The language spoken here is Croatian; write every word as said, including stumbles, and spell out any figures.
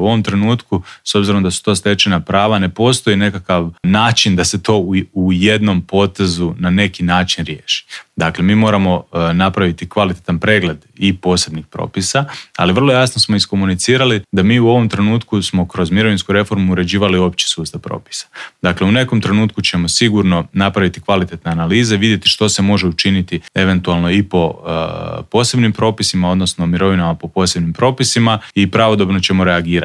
U ovom trenutku, s obzirom da su to stečena prava, ne postoji nekakav način da se to u, u jednom potezu na neki način riješi. Dakle, mi moramo uh, napraviti kvalitetan pregled i posebnih propisa, ali vrlo jasno smo iskomunicirali da mi u ovom trenutku smo kroz mirovinsku reformu uređivali opći sustav propisa. Dakle, u nekom trenutku ćemo sigurno napraviti kvalitetne analize, vidjeti što se može učiniti eventualno i po uh, posebnim propisima, odnosno mirovinama po posebnim propisima i pravodobno ćemo reagirati.